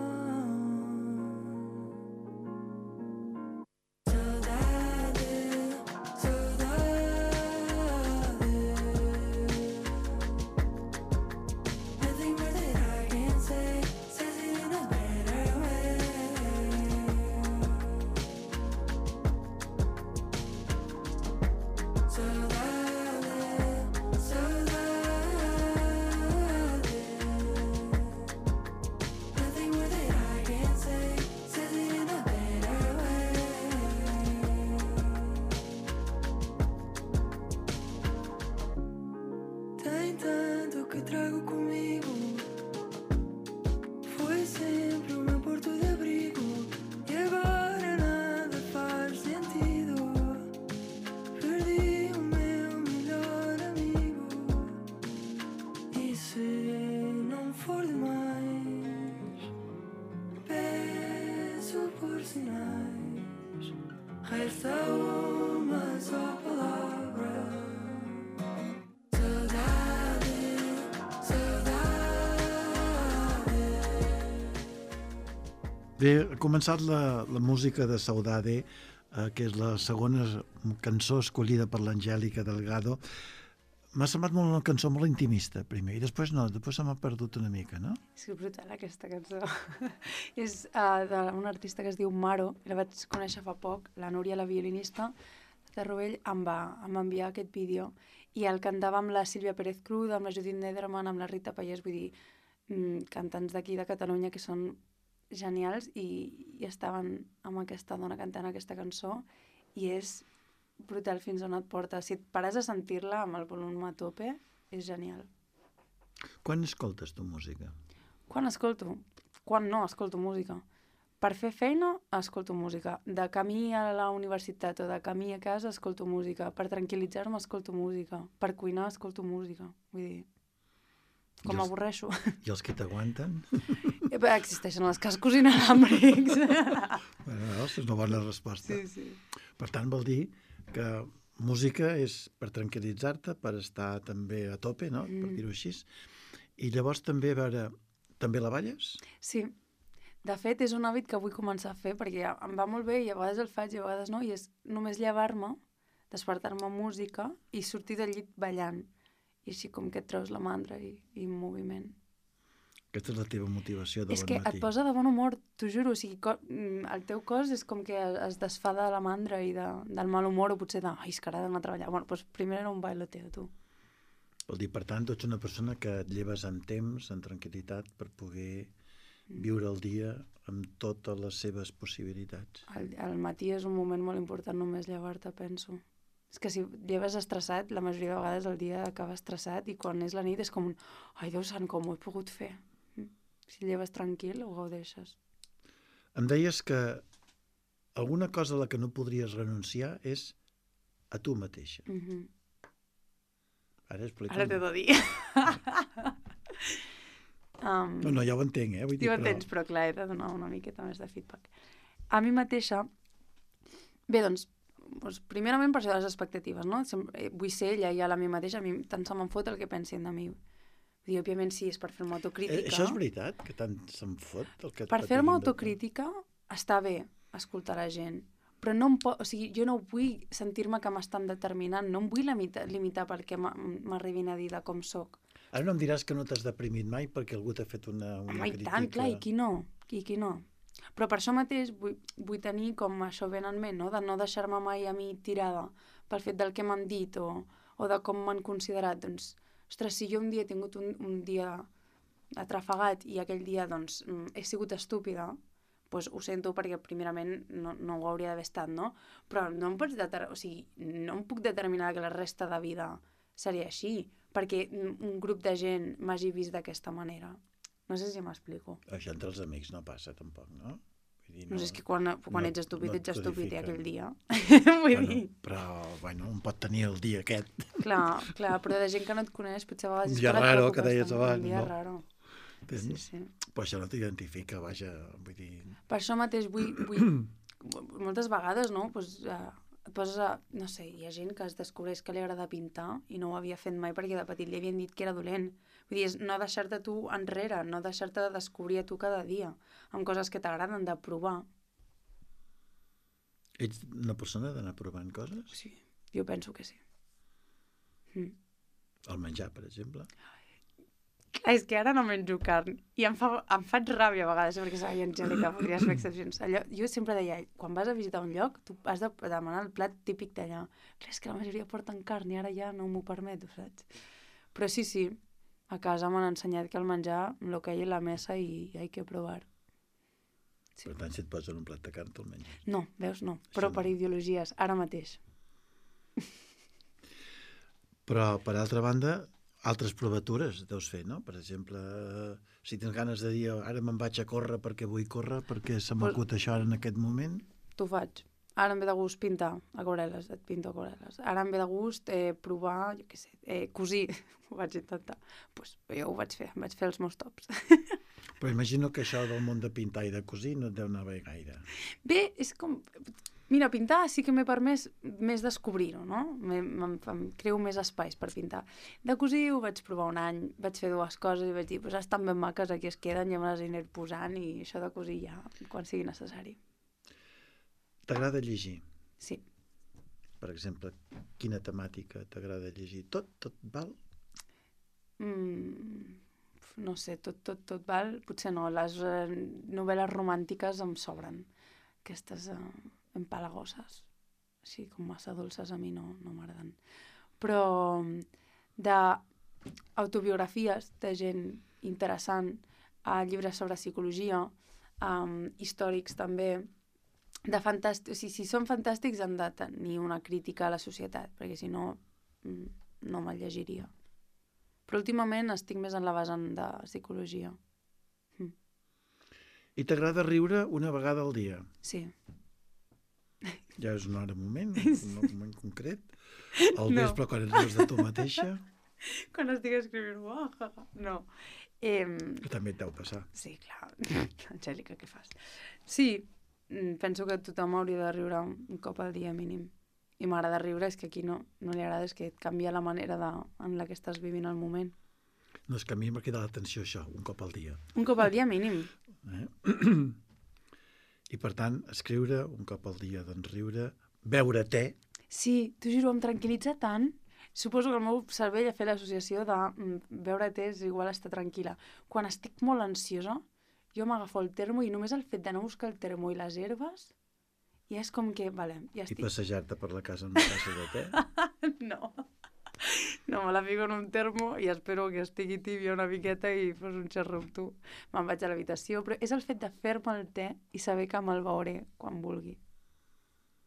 Tem tanto que trago comigo. Foi sempre o meu porto de abrigo, e agora nada faz sentido. Perdi o meu melhor amigo, e se não for demais, peço por sinais. Resta uma só palavra. Bé, ha començat la, la música de Saudade, eh, que és la segona cançó escollida per l'Angèlica Delgado. M'ha semblat molt una cançó molt intimista, primer, i després no, després se m'ha perdut una mica, no? És que brutal, aquesta cançó. És uh, d'un artista que es diu Maro, la vaig conèixer fa poc, la Núria, la violinista de Rovell, em va, em va enviar aquest vídeo, i el cantava amb la Sílvia Pérez Cruz, amb la Judit Nederman, amb la Rita Pallés, vull dir, mm, cantants d'aquí de Catalunya que són genials, i, i estaven amb aquesta dona cantant aquesta cançó, i és brutal fins on et porta. Si et pares a sentir-la amb el volum a tope, és genial. Quan escoltes tu música? Quan escolto? Quan no escolto música? Per fer feina, escolto música. De camí a la universitat o de camí a casa, escolto música. Per tranquil·litzar-me, escolto música. Per cuinar, escolto música. Vull dir, com m'avorreixo. I els que t'aguanten? Existeixen els cascos inalàmbrics. Bueno, és una bona resposta. Sí, sí. Per tant, vol dir que música és per tranquil·litzar-te, per estar també a tope, no? Mm. Per dir-ho així. I llavors també, a veure, també la balles? Sí. De fet, és un hàbit que vull començar a fer, perquè em va molt bé i a vegades el faig i a vegades no, i és només llevar-me, despertar-me amb música i sortir del llit ballant. I així com que et treus la mandra i, i moviment. Aquesta és la teva motivació de és bon que matí. Et posa de bon humor, t'ho juro. O sigui, co el teu cos és com que es desfà de la mandra i de, del mal humor, o potser de, ai, és que ara he d'anar a treballar. Bueno, doncs primer era un bailoteo, tu. Vol dir, per tant, tu ets una persona que et lleves amb temps, amb tranquil·litat, per poder viure el dia amb totes les seves possibilitats. El, el matí és un moment molt important, només llevar-te, penso. És que si lleves estressat, la majoria de vegades el dia acaba estressat i quan és la nit és com un ai, Déu sant, com ho he pogut fer? Si lleves tranquil, ho gaudeixes. Em deies que alguna cosa a la que no podries renunciar és a tu mateixa. Mm-hmm. Ara explica'm. Ara t'he de dir. um, no, no, ja ho entenc, eh? Vull dir, ja ho però... entens, però clar, he de donar una miqueta més de feedback. A mi mateixa... Bé, doncs, doncs primerament per això de les expectatives, no? Sempre, vull ser ella i a la mi mateixa, a mi tant se me'n fot el que pensin de mi. Vull dir, òbviament sí, és per fer-me autocrítica. Eh, això és veritat, que tant se'n fot el que et Per patim fer-me de- autocrítica està bé escoltar la gent, però no em po... o sigui, jo no vull sentir-me que m'estan determinant, no em vull limitar, limitar perquè m'arribin a dir de com sóc. Ara no em diràs que no t'has deprimit mai perquè algú t'ha fet una, una Home, i crítica... tant, clar, i qui no? I qui no? Però per això mateix vull, vull tenir com això ben en ment, no? De no deixar-me mai a mi tirada pel fet del que m'han dit o, o de com m'han considerat. Doncs, ostres, si jo un dia he tingut un, un dia atrafegat i aquell dia doncs, he sigut estúpida, doncs ho sento perquè primerament no, no ho hauria d'haver estat, no? Però no em pots deter... o sigui, no em puc determinar que la resta de vida seria així, perquè un grup de gent m'hagi vist d'aquesta manera. No sé si m'explico. Això entre els amics no passa, tampoc, no? Vull dir, No, no sé, és que quan, quan no, ets estúpid, no et ets estúpid i codifiquen. aquell dia. Vull Bueno, dir, però, bueno, un pot tenir el dia aquest. clar, clar, però de gent que no et coneix, potser a vegades... Un és dia que no et raro, preocupes que deies tant, abans, Un dia no? raro. Tens? Sí, sí. Però això no t'identifica, vaja, vull dir... Per això mateix vull... vull moltes vegades, no? Pues, uh, et poses a... No sé, hi ha gent que es descobreix que li agrada pintar i no ho havia fet mai perquè de petit li havien dit que era dolent. Vull dir, és no deixar-te tu enrere, no deixar-te de descobrir a tu cada dia amb coses que t'agraden, de provar. Ets una persona d'anar provant coses? Sí, jo penso que sí. Mm. El menjar, per exemple? Clar, és que ara no menjo carn i em, fa, em faig ràbia a vegades perquè ai, Angèlica, podries fer excepcions. Allò, jo sempre deia, quan vas a visitar un lloc tu has de demanar el plat típic d'allà. Clar, és que la majoria porten carn i ara ja no m'ho permeto, saps? Però sí, sí, a casa m'han ensenyat que el menjar lo que hi ha a la mesa i hay que provar. Sí. Per tant, si et posen un plat de carn, te'l menges. No, veus, no, però Això no. per ideologies, ara mateix. Però, per altra banda, altres provatures deus fer, no? Per exemple, si tens ganes de dir ara me'n vaig a córrer perquè vull córrer, perquè se m'acut això ara en aquest moment... T'ho faig. Ara em ve de gust pintar aquarel·les, et pinto aquarel·les. Ara em ve de gust eh, provar, jo què sé, eh, cosir, ho vaig intentar. Doncs pues, jo ho vaig fer, em vaig fer els meus tops. Però imagino que això del món de pintar i de cosir no et deu anar bé gaire. Bé, és com... Mira, pintar sí que m'he permès més descobrir-ho, no? Em, em creo més espais per pintar. De cosir ho vaig provar un any, vaig fer dues coses i vaig dir, pues estan ben maques, aquí es queden, ja me les aniré posant i això de cosir ja, quan sigui necessari. T'agrada llegir? Sí. Per exemple, quina temàtica t'agrada llegir? Tot? Tot val? Mm, no sé, tot, tot, tot val? Potser no, les eh, novel·les romàntiques em sobren. Aquestes eh, empalagoses, així com massa dolces, a mi no, no m'agraden. Però d'autobiografies de gent interessant, eh, llibres sobre psicologia, eh, històrics també, de fantàstic, o sigui, si són fantàstics han de tenir una crítica a la societat, perquè si no, no me'l llegiria. Però últimament estic més en la vessant de psicologia. Mm. I t'agrada riure una vegada al dia? Sí. Ja és una hora un moment, un moment concret? Al No. vespre, quan et rius de tu mateixa? Quan estic escrivint, uah, no. Eh, Que també et deu passar. sí, clar. Angèlica, què fas? Sí, penso que tothom hauria de riure un cop al dia mínim. I m'agrada riure, és que aquí no, no li agrada, és que et canvia la manera de, en la que estàs vivint el moment. No, és que a mi m'ha quedat l'atenció això, un cop al dia. Un cop al dia mínim. Eh? I per tant, escriure un cop al dia, doncs riure, beure te. Sí, t'ho juro, em tranquil·litza tant. Suposo que el meu cervell ha fet l'associació de mm, beure te és igual estar tranquil·la. Quan estic molt ansiosa, jo m'agafo el termo i només el fet d'anar a buscar el termo i les herbes, ja és com que, vale, ja I estic... passejar-te per la casa amb una tassa de te. No. No, me la fico en un termo i espero que estigui tibia una miqueta i fos un xerro amb tu. Me'n vaig a l'habitació, però és el fet de fer-me el te i saber que me'l beuré quan vulgui.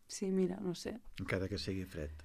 Sí, mira, no sé. Encara que sigui fred.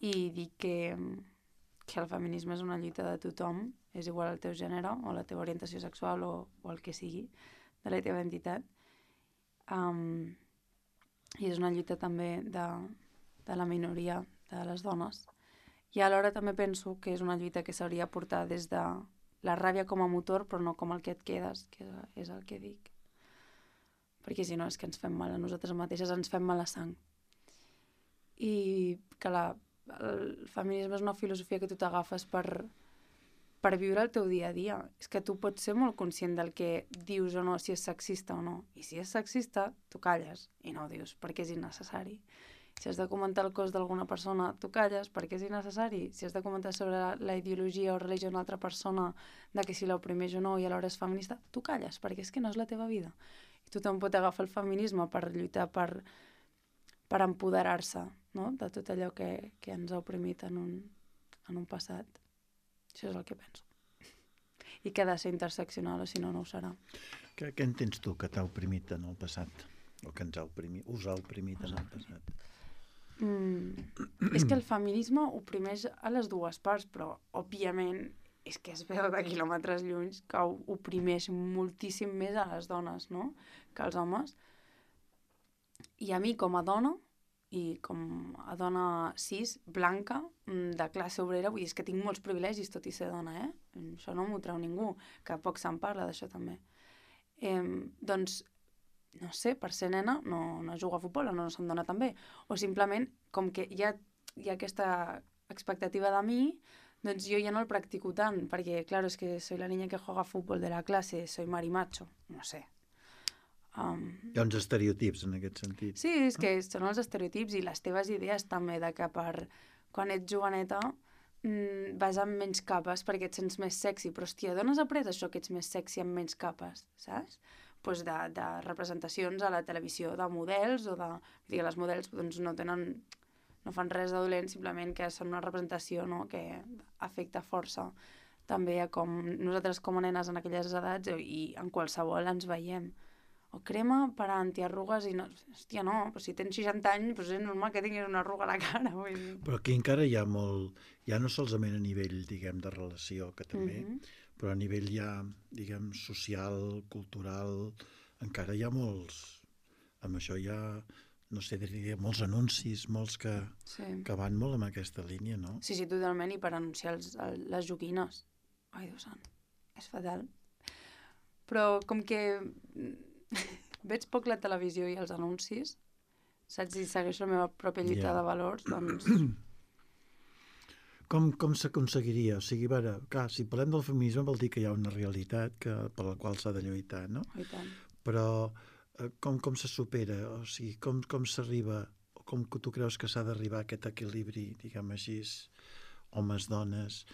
i dic que, que el feminisme és una lluita de tothom, és igual el teu gènere o la teva orientació sexual o, o el que sigui, de la teva identitat. Um, I és una lluita també de, de la minoria de les dones. I alhora també penso que és una lluita que s'hauria de portar des de la ràbia com a motor, però no com el que et quedes, que és el que dic. Perquè si no és que ens fem mal a nosaltres mateixes, ens fem mala sang. I que la, el feminisme és una filosofia que tu t'agafes per, per viure el teu dia a dia. És que tu pots ser molt conscient del que dius o no, si és sexista o no. I si és sexista, tu calles i no ho dius, perquè és innecessari. Si has de comentar el cos d'alguna persona, tu calles perquè és innecessari. Si has de comentar sobre la, la ideologia o religió d'una altra persona, de que si l'oprimeix o no i alhora és feminista, tu calles perquè és que no és la teva vida. I tothom pot agafar el feminisme per lluitar, per, per empoderar-se, no?, de tot allò que, que ens ha oprimit en un, en un passat. Això és el que penso. I que ha de ser interseccional, o si no, no ho serà. Què, què entens tu que t'ha oprimit en el passat? O que ens ha oprimit, us ha oprimit en el passat? Mm, és que el feminisme oprimeix a les dues parts, però, òbviament, és que es veu de quilòmetres lluny que oprimeix moltíssim més a les dones, no?, que als homes. I a mi, com a dona, i com a dona cis, blanca, de classe obrera, vull dir, és que tinc molts privilegis tot i ser dona, eh? Això no m'ho treu ningú, que poc se'n parla d'això també. Eh, doncs, no sé, per ser nena no, no jugo a futbol o no se'm dona tan bé. O simplement, com que hi ha, hi ha aquesta expectativa de mi, doncs jo ja no el practico tant, perquè, clar, és que soy la niña que juega a futbol de la classe, soy marimacho, no sé. Um... Hi ha uns estereotips en aquest sentit. Sí, és que són els estereotips i les teves idees també, de que per quan ets joveneta mmm, vas amb menys capes perquè et sents més sexy, però hòstia, d'on has après això que ets més sexy amb menys capes, saps? Pues de, de representacions a la televisió de models o de... Vull dir, les models doncs, no tenen... no fan res de dolent, simplement que són una representació, no?, que afecta força també a com nosaltres com a nenes en aquelles edats i en qualsevol ens veiem. O crema per a antiarrugues i no... Hòstia, no, però si tens seixanta anys doncs és normal que tinguis una arruga a la cara. Vull dir. Però aquí encara hi ha molt... Ja no solament a nivell, diguem, de relació, que també, mm-hmm. però a nivell ja, diguem, social, cultural, encara hi ha molts... Amb això hi ha, no sé, diria, molts anuncis, molts que, sí. que van molt en aquesta línia, no? Sí, sí, totalment, i per anunciar els, el, les joguines. Ai, Déu sant, és fatal. Però com que veig poc la televisió i els anuncis, saps, si segueixo la meva pròpia lluita yeah. de valors, doncs... Com, com s'aconseguiria? O sigui, veure, clar, si parlem del feminisme vol dir que hi ha una realitat que, per la qual s'ha de lluitar, no? I tant. Però eh, com, com se supera? O sigui, com, com s'arriba? Com que tu creus que s'ha d'arribar a aquest equilibri, diguem així, homes, dones...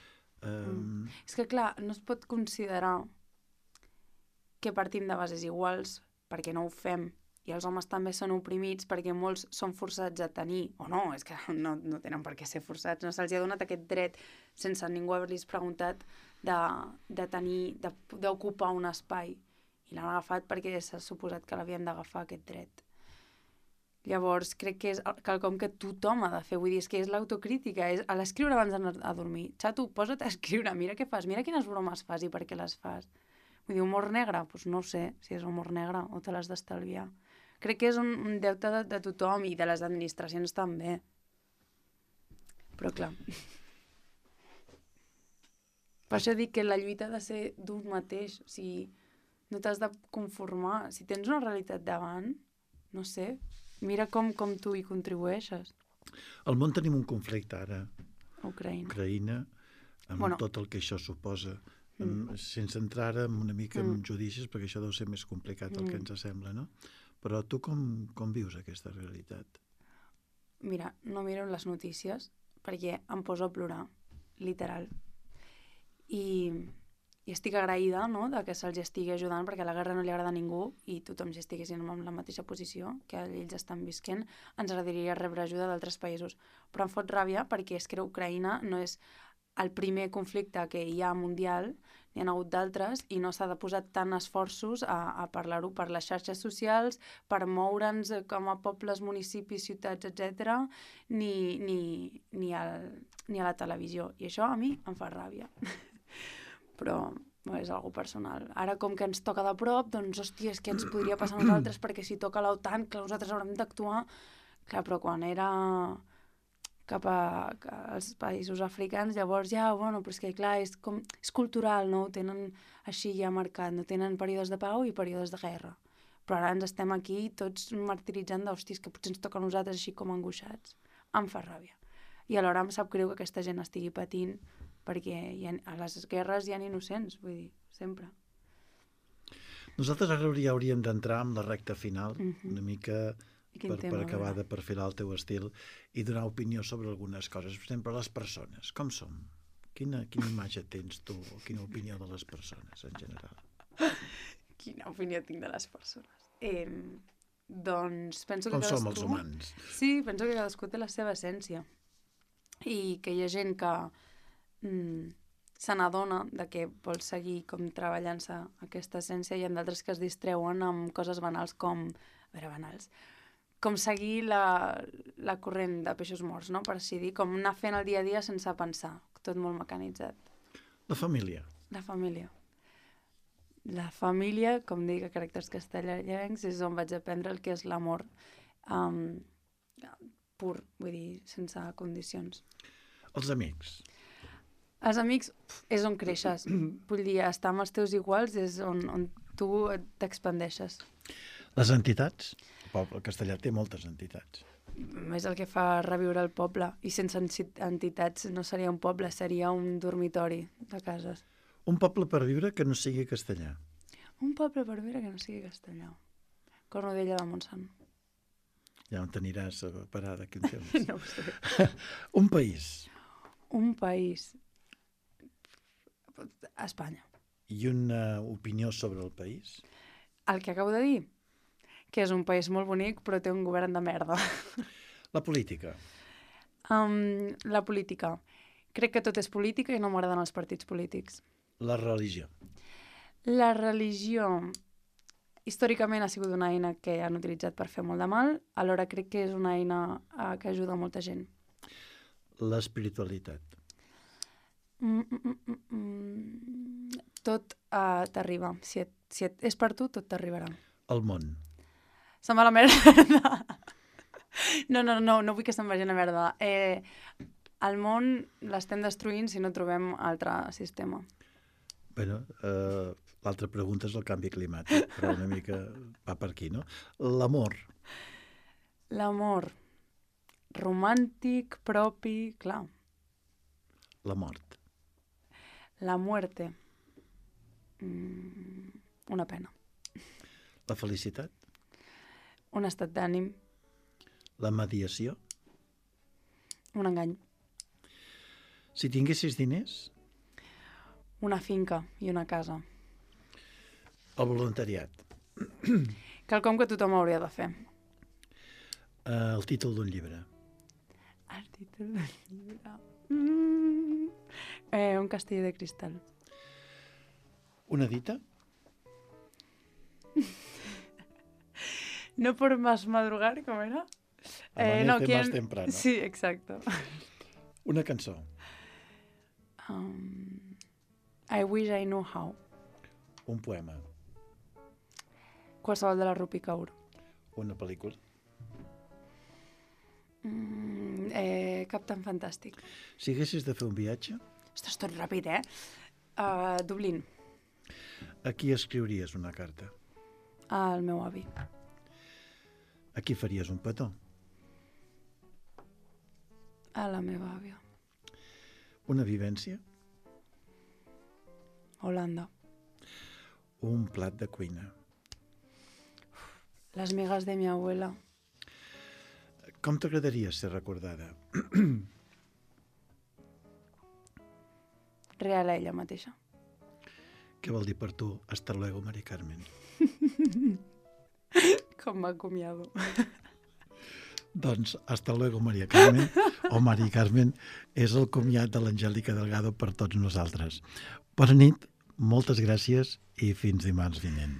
Eh... Mm. És que, clar, no es pot considerar que partim de bases iguals perquè no ho fem, i els homes també són oprimits perquè molts són forçats a tenir, o no, és que no, no tenen per què ser forçats, no se'ls ha donat aquest dret sense ningú haver-los preguntat de, de tenir, de, d'ocupar un espai, i l'han agafat perquè s'ha suposat que l'havien d'agafar aquest dret. Llavors crec que és quelcom que tothom ha de fer, vull dir, és que és l'autocrítica, és a l'escriure abans d'anar a dormir. Xato, posa't a escriure, mira què fas, mira quines bromes fas i per què les fas. Vull dir, humor negre? Doncs pues no sé si és humor negre o te l'has d'estalviar. Crec que és un, un deute de, de tothom i de les administracions també. Però clar. Per això dic que la lluita ha de ser d'un mateix. O sigui, no t'has de conformar. Si tens una realitat davant, no sé, mira com, com tu hi contribueixes. Al món tenim un conflicte ara. Ucraïna. Ucraïna, amb bueno. tot el que això suposa. Mm. Sense entrar en una mica en mm. judicis, perquè això deu ser més complicat del mm. que ens sembla, no? Però tu com, com vius aquesta realitat? Mira, no miro les notícies perquè em poso a plorar, literal. I, i estic agraïda, no?, de que se'ls estigui ajudant, perquè la guerra no li agrada a ningú i tothom si estiguessin en la mateixa posició que ells estan visquent, ens agradaria rebre ajuda d'altres països. Però em fot ràbia perquè és que Ucraïna no és el primer conflicte que hi ha mundial, n'hi ha hagut d'altres, i no s'ha de posar tant esforços a, a parlar-ho per les xarxes socials, per moure'ns com a pobles, municipis, ciutats, etcètera, ni, ni, ni, al, ni a la televisió. I això a mi em fa ràbia. Però no és algo personal. Ara, com que ens toca de prop, doncs, hòstia, és que ens podria passar a nosaltres, perquè si toca l'OTAN, que nosaltres haurem d'actuar... Clar, però quan era... cap a, als països africans, llavors ja, bueno, però és que clar, és, com, és cultural, no? Ho tenen així ja marcat, no tenen períodes de pau i períodes de guerra. Però ara ens estem aquí tots martiritzant d'hòsties que potser ens toca a nosaltres així com angoixats. Em fa ràbia. I alhora em sap greu que aquesta gent estigui patint perquè hi ha, a les guerres hi ha innocents, vull dir, sempre. Nosaltres ara ja hauríem d'entrar amb la recta final, Mhm. una mica I quin per, tema, per acabar a veure? de perfilar el teu estil i donar opinió sobre algunes coses. Per exemple, les persones, com som? Quina, quina imatge tens tu o quina opinió de les persones en general? Quina opinió tinc de les persones? Eh, doncs penso que Com cadascú... som els humans? Sí, penso que cadascú té la seva essència i que hi ha gent que mm, se n'adona de que vol seguir com treballant-se aquesta essència i hi ha d'altres que es distreuen amb coses banals com, a veure, banals, com seguir la, la corrent de peixos morts, no? Per així dir, com anar fent el dia a dia sense pensar, tot molt mecanitzat. La família. La família. La família, com dic, a caràcters castellanencs, és on vaig aprendre el que és l'amor um, pur, vull dir, sense condicions. Els amics. Els amics pf, és on creixes. Vull dir, estar amb els teus iguals és on, on tu t'expandeixes. Les entitats. El poble castellà té moltes entitats. És el que fa reviure el poble. I sense entitats no seria un poble, seria un dormitori de cases. Un poble per viure que no sigui castellà. Un poble per viure que no sigui castellà. Cornudella de Montsant. Ja on t'aniràs a parar d'aquí un temps. No ho sé. Un país. Un país. Espanya. I una opinió sobre el país. El que acabo de dir, que és un país molt bonic però té un govern de merda. La política. Um, la política. Crec que tot és política i no m'agraden els partits polítics. La religió. La religió històricament ha sigut una eina que han utilitzat per fer molt de mal, alhora crec que és una eina uh, que ajuda molta gent. L'espiritualitat. Mm, mm, mm, mm. Tot uh, t'arriba. Si, et, si et, és per tu, tot t'arribarà. El món. Se'n va a la merda. No, no, no, no vull que se'n vagi a la merda. Eh, el món l'estem destruint si no trobem altre sistema. Bueno, eh, l'altra pregunta és el canvi climàtic, però una mica va per aquí, no? L'amor. L'amor romàntic, propi, clar. La mort. La muerte. Mm, una pena. La felicitat. Un estat d'ànim. La mediació. Un engany. Si tinguessis diners, Una finca i una casa. el voluntariat. Quelcom que tothom hauria de fer. Eh, el títol d'un llibre. El títol del llibre... Mm. Eh, un castell de cristal. Una dita. No por más madrugar, ¿cómo era? Amanece más temprano. Sí, exacto. Una cançó. Um, I wish I knew how. Un poema. Qualsevol de la Rupi Kaur. Una pel·lícula. Mm, eh, cap tan fantàstic. Si haguessis de fer un viatge, Ostres, tot ràpid, eh? Uh, Dublín. a qui escriuries una carta? Al meu avi. A qui faries un petó? A la meva àvia. Una vivència? Holanda. Un plat de cuina? Las migas de mi abuela. Com t'agradaria ser recordada? Real a ella mateixa. Què vol dir per tu hasta luego, Mari Carmen? Com m'acomiado. Doncs hasta luego, Maria Carmen, o Mari Carmen, és el comiat de l'Angèlica Delgado per tots nosaltres. Bona nit, moltes gràcies i fins dimarts vinent.